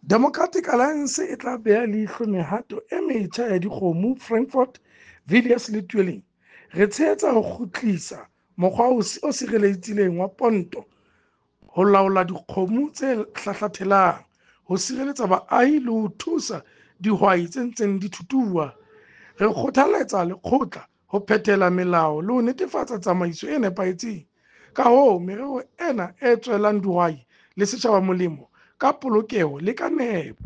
Democratic Alliance e tla beha leihlo mehato e metjha ya dikgomo Frankfort, Villiers le Tweeling. Re tshehetsa ho kgutlisa mokgwa o sireletsehileng wa ponto ho laola dikgomo tse hlahlathelang, ho sireletsa baahi le ho thusa dihwai tse ntseng di thuthuha. Re kgothaletsa lekgotla ho phethela melao le ho netefatsa tsamaiso e nepahetseng. Ka hoo, merero ena e tswelang dihwai le setjhaba molemo ka polokeho le ka nepo.